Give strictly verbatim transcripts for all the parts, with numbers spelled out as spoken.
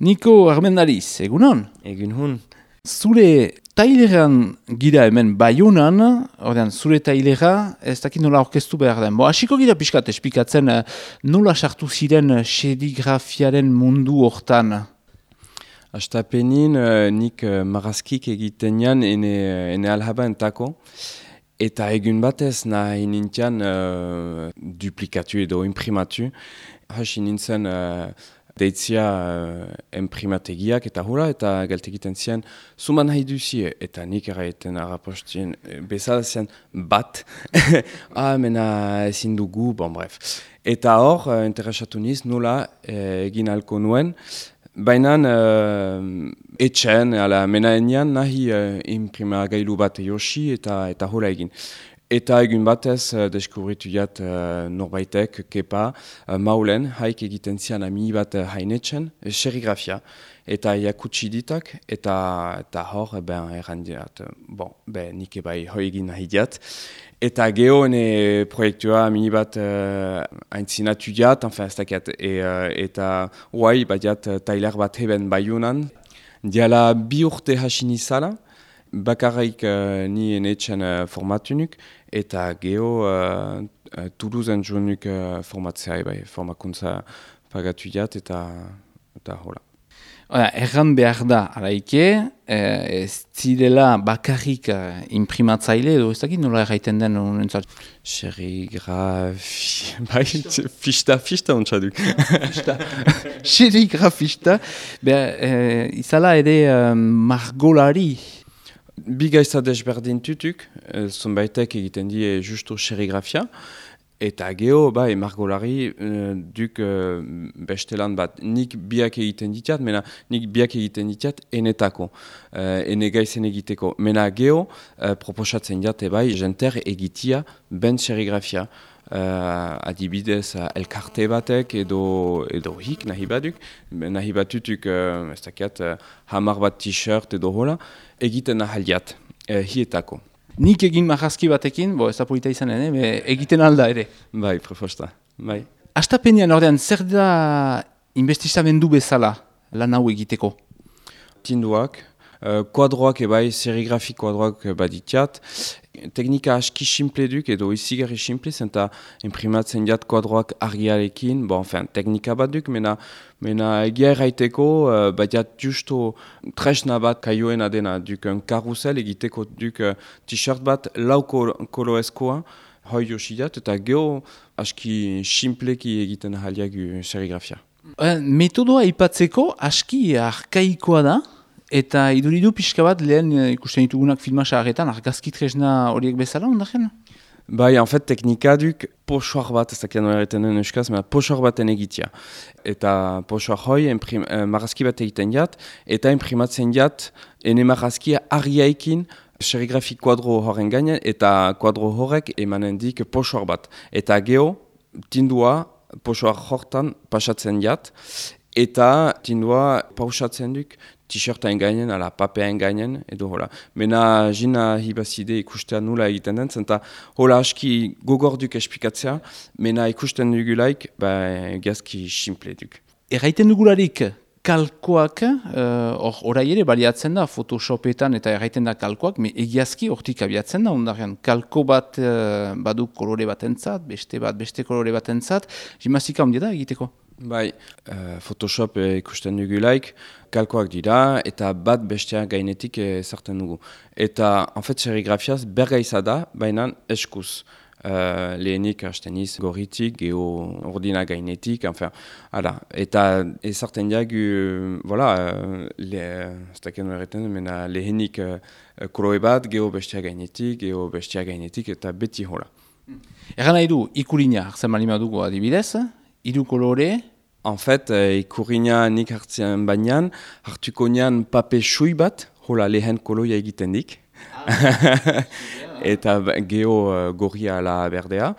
Niko Armendariz, egunon? Egun hun. Zure taileran gira hemen Baionan, ordean, zure tailera, ez dakit nola orkestu behar den. Bo, hasiko gira pixkat esplikatzen eh, nola sartu ziren serigrafiaren mundu hortan. Astapenin uh, nik uh, marrazkik egiten jan ene, ene alhaba entako. Eta egun batez nahi nintian uh, duplikatu edo imprimatu. Hasi nintzen uh, deitzia uh, imprimategiak eta hula eta galtegiten zian zuman nahi duzie. Eta nik erraiten arrapostien bezala zian bat. ah, mena ezin dugu, bon bref. Eta hor, uh, interesatu niz nola uh, egin alko nuen. Baina uh, etxen, ala menaenian nahi uh, imprimagailu bat eosi eta eta hola egin. Eta egun batez uh, deskubritu jat uh, norbaitek, kepa, uh, maulen, haik egiten zian ami bat uh, hainetxen, uh, serigrafia. Eta jakutsi ditak, eta, eta hor, ben, errandiat, bon, ben, nik ebai hoi egin nahi diat. Eta geho ene proiektua mini bat uh, aintzinatu jat, enfin, ez dakiat, e, uh, eta huai bat jat tailer bat heben Baionan. Diala bi urte hasi nizala, bakarrik uh, ni enetxen uh, formatunuk, eta geho uh, uh, Toulousen joanuk uh, formatzea, bai, formakuntza pagatu jat, eta, eta hola. Oda, erran behar da, araike, eh, ez zirela bakarrik eh, imprimatzaile edo ez dakit nola erraiten den honentzat. Serigrafi... bai, fista, fista ontsaduk. Fista. Serigrafista. Beha, eh, izala ere eh, margolari. Bi gaitza desberdin tutuk, eh, zonbaitek egiten die justu serigrafia. Eta geho, bai, margolari uh, duk uh, bestelan bat nik biak egiten ditiat, mena nik biak egiten ditiat enetako, uh, ene gaizen egiteko. Mena geho, uh, proposatzen jate bai, jenter egitia ben serigrafia. Uh, adibidez, uh, elkarte batek edo, edo hik nahi baduk, nahi batutuk, uh, ez dakiat, uh, hamar bat t-shirt edo hola, egiten ahaliat, uh, hietako. Nik egin marrazki batekin, bo ez da polita izanen, eh? Egiten alda ere. Bai, proposta, bai. Astapenean ordean, zer da investizamendu bezala lan hau egiteko? Tinduak, uh, kuadroak ebai, serigrafi kuadroak baditiat. Teknika aski simple duk edo izigarri simple, zenta imprimatzen jat kuadroak argiarekin, bon, enfin, teknika bat duk, mena, mena egia erraiteko, uh, badiat justo tresna bat kaioen adena duk un karusel egiteko duk uh, t-shirt bat lau koloezkoa, hoi josidat, eta geho aski simpleki egiten ahaliagu serigrafia. Uh, metodoa ipatzeko aski arkaikoa da, eta iduridu pixka bat lehen ikusten ditugunak filmasa harretan, argazki tresna horiek bezala, ondaren? Bai, en fait, teknika duk posoar bat, ez dakian hori den euskaz, mena posoar baten egitea. Eta posoar hoi imprim, eh, marrazki bat egiten jat, eta imprimatzen jat, ene marrazkia argiaikin serigrafi kuadro horren gainen, eta kuadro horrek emanen dik posoar bat. Eta geho, tindua posoar hortan pasatzen jat, eta tindua pausatzen duk t-shirtain gainen, ala papean gainen, edo hola. Mena jina hibazide ikustea nula egiten den, zenta hola aski gogorduk esplikatzea, mena ikusten dugulaik, ba, gazki simple duk. Erraiten dugularik kalkoak, hor uh, orai ere baliatzen da, Photoshopetan eta erraiten da kalkoak, me egiazki hortik abiatzen da, ondaren kalko bat uh, baduk kolore batentzat, beste bat beste kolore batentzat, jimazika ondia da egiteko? Bai, uh, Photoshop eh, ikusten dugulaik, kalkoak dira, eta bat bestea gainetik ezartzen dugu. Eta, en fait, serigrafiaz bergaiza da, baina eskuz. Uh, lehenik hasteniz gorritik, geho ordina gainetik, enfin, ala. Eta ezartzen diagu, voilà, uh, le, ez daken horretan, mena lehenik uh, kolore bat, geho bestea gainetik, geho bestea gainetik, eta beti hola. Egan nahi du, ikurina hartzen malima dugu adibidez, hiru kolore? En fait, uh, ikurina nik hartzen bainan, hartuko nian pape sui bat, hola lehen koloia egiten dik. Ah, eta geho uh, gorria ala berdea,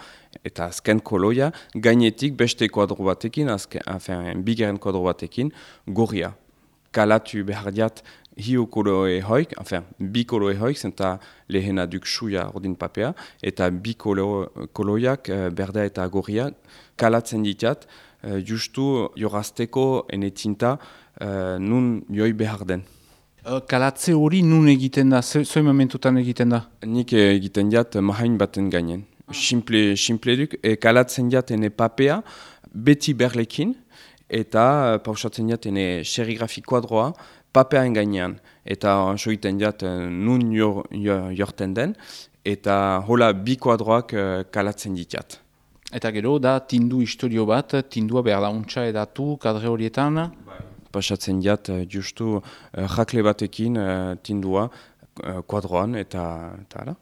eta azken koloia, gainetik beste kuadro batekin, azken, enfin, bigeren kuadro batekin, gorria. Kalatu behar diat hiu koloe hoik, enfin, bi koloe hoik, zenta lehena duk suia ordin papea, eta bi kolo, koloiak, uh, berdea eta gorria, kalatzen ditiat, uh, justu jorazteko ene tinta uh, nun joi behar den. Kalatze hori nun egiten da, zoi momentutan egiten da? Nik egiten jat mahain baten gainen. Simple, simple duk, e, kalatzen jat ene papea, beti berlekin, eta pausatzen jat ene serigrafi kuadroa, papeaen gainean. Eta soiten jat nun jor, jor, jorten den, eta hola bi kuadroak kalatzen ditjat. Eta gero da tindu historio bat, tindua behar da untsa edatu kadre horietan? Pasatzen jat justu uh, jakle batekin uh, tindua uh, kuadroan eta eta ala.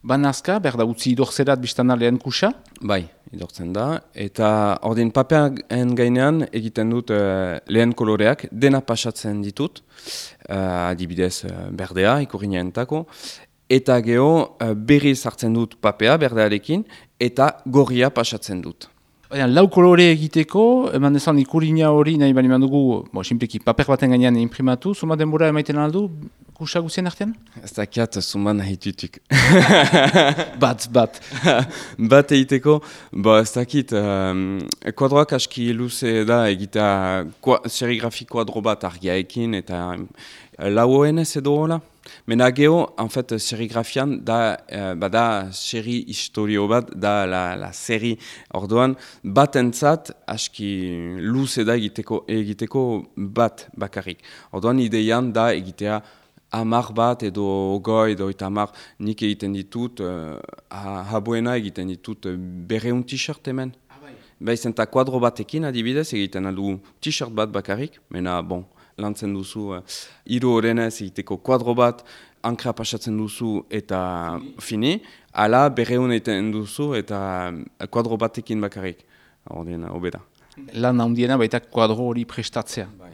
Banazka, behar da utzi idorzerat biztana lehen kusa? Bai, idortzen da. Eta ordin papean gainean egiten dut uh, lehen koloreak, dena pasatzen ditut, uh, adibidez uh, berdea, ikurriñaentako, eta geho uh, berriz hartzen dut papea berdearekin, eta gorria pasatzen dut. Baina, lau kolore egiteko, eman dezan ikurriña hori nahi bali mandugu, bo, simpleki paper baten gainean imprimatu, zuma denbora emaiten aldu, kusa guzien artean? Ez dakiat zuman nahi tutuk. bat, bat. bat egiteko, bo ez dakit, um, kuadroak aski luze da egitea serigrafi kuadro bat argiaekin, eta lauoen ez edo hola. Mena geho, en fait, serigrafian da, uh, bada seri historio bat, da la, la seri orduan, bat entzat, aski luze da egiteko, egiteko bat bakarrik. Orduan ideian da egitea amar bat edo ogoi edo eta amar nik egiten ditut, uh, habuena egiten ditut uh, berreun t-shirt hemen. Ah, bai. Baizen eta kuadro batekin adibidez egiten aldu t-shirt bat bakarrik, mena bon. Lantzen duzu, uh, hiru horrenez egiteko kuadro bat, ankra pasatzen duzu eta fini, ala berreun egiten duzu eta kuadro batekin bakarrik. Ordien, obeda. Lan handiena baita kuadro hori prestatzea. Bai,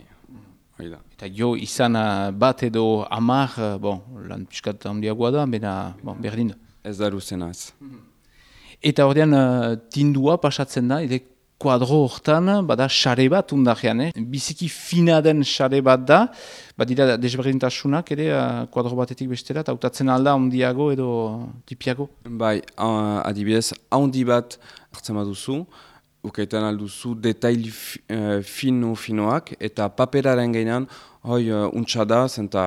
hori da. Eta jo izan bat edo amar, bon, lan piskat handiagoa da, bena, bon, berdin. Ez da luzena ez. Eta ordean uh, tindua pasatzen da, ere kuadro hortan, bada xare bat undarean, eh? Biziki fina den xare bat da, badira desberdintasunak ere uh, kuadro batetik bestera, eta hautatzen alda handiago edo tipiago? Bai, uh, adibidez, handi bat hartzen baduzu, ukaitan alduzu detail uh, fino-finoak, eta paperaren gainean, hoi uh, untsa da, zenta,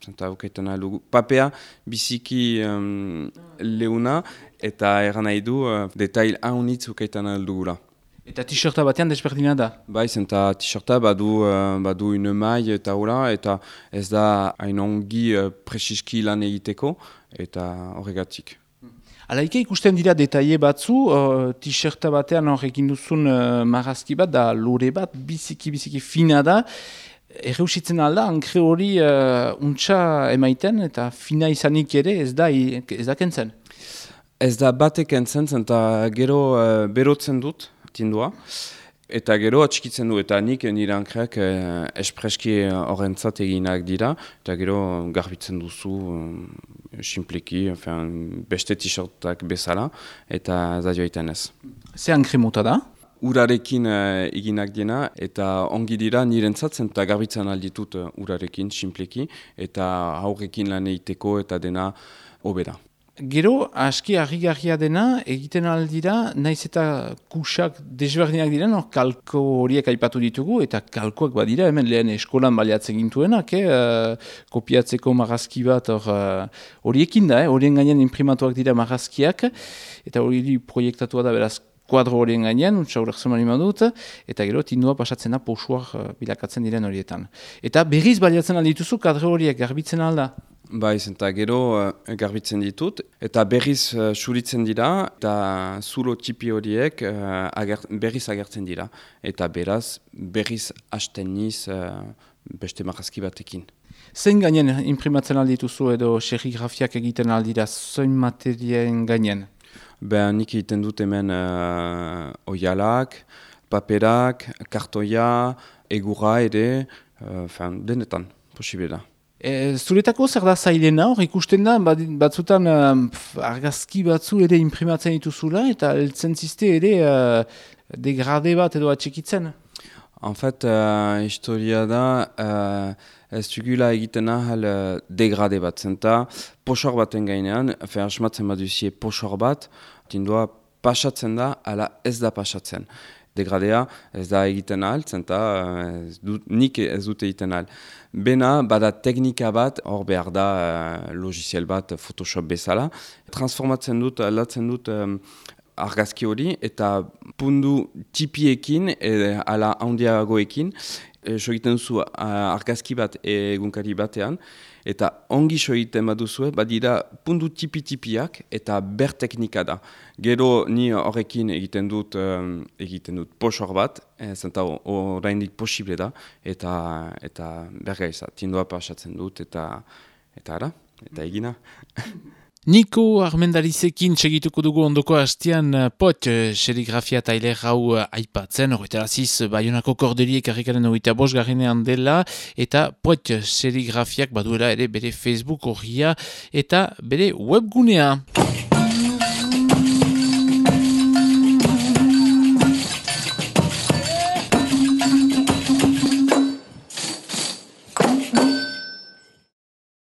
zenta ukaitan aldugu. Papea biziki um, leuna, eta eran nahi du uh, detail haunitz ukaitan aldugula. Eta t-shirta batean desberdina da? Bai, zenta t-shirta badu, uh, badu une mai eta hola, eta ez da hain ongi uh, presiski lan egiteko, eta horregatik. Alaike ikusten dira detaile batzu, uh, t-shirta batean horrekin duzun uh, marrazki bat, da lore bat, biziki-biziki fina da, erreusitzen alda, ankre hori uh, untsa emaiten, eta fina izanik ere ez da, ez da kentzen? Ez da batek kentzen, zenta gero uh, berotzen dut, tindua, eta gero atxikitzen du, eta nik nire ankreak eh, espreski horrentzat eginak dira, eta gero garbitzen duzu eh, simpleki, enfin, beste t-shirtak bezala, eta zadioetan ez. Ze ankre mota da? Urarekin eh, eginak dena, eta ongi dira nirentzatzen, eta garbitzen alditut uh, urarekin simpleki, eta haurrekin lan egiteko eta dena hobeda. Gero, aski harrigarria dena, egiten aldira, naiz eta kusak desberdinak diren, or, kalko horiek aipatu ditugu, eta kalkoak badira, hemen lehen eskolan baliatzen gintuenak, eh, kopiatzeko marrazki bat horiekin uh, da, horien eh, gainean imprimatuak dira marrazkiak, eta hori proiektatua da beraz kuadro horien gainean, untsa horrek zemani madut, eta gero tindua pasatzen da posuak uh, bilakatzen diren horietan. Eta berriz baliatzen aldituzu kadre horiek garbitzen alda? Bai, zenta gero uh, garbitzen ditut, eta berriz uh, suritzen dira, eta zulo tipi horiek uh, ager, berriz agertzen dira. Eta beraz, berriz hasten niz uh, beste marrazki batekin. Zein gainen imprimatzen aldituzu edo serigrafiak egiten aldira, zein materien gainen? Ben, nik egiten dut hemen uh, oialak, paperak, kartoia, egurra ere, uh, fan, denetan, posible da. E, zuretako zer da zailena hor, ikusten da, batzutan um, argazki batzu ere imprimatzen dituzula, eta heltzen ziste ere uh, degrade bat edo atxikitzen? En fait, uh, historia da, uh, ez dugula egiten ahal uh, degrade bat, zenta posor baten gainean, fe asmatzen baduzie posor bat, tindua pasatzen da, ala ez da pasatzen. Degradea ez da egiten ahal, zenta ez dut, nik ez dute egiten ahal. Bena, bada teknika bat, hor behar da uh, logiziel bat, Photoshop bezala, transformatzen dut, aldatzen dut um, argazki hori, eta pundu tipiekin, e, ala handiagoekin, e, so egiten duzu uh, argazki bat egunkari batean, eta ongi so egiten baduzue, badira pundu tipi-tipiak eta ber teknika da. Gero ni horrekin egiten dut um, egiten dut posor bat, e, zenta oraindik posible da, eta eta bergaiza, tindua pasatzen dut, eta eta ara, eta egina. Niko Armendarizekin segituko dugu ondoko hastian pot serigrafia tailer hau aipatzen, horretaraziz Baionako Korderiek harrikaren hogeita bost garenean dela, eta pot serigrafiak baduela ere bere Facebook horria eta bere webgunea.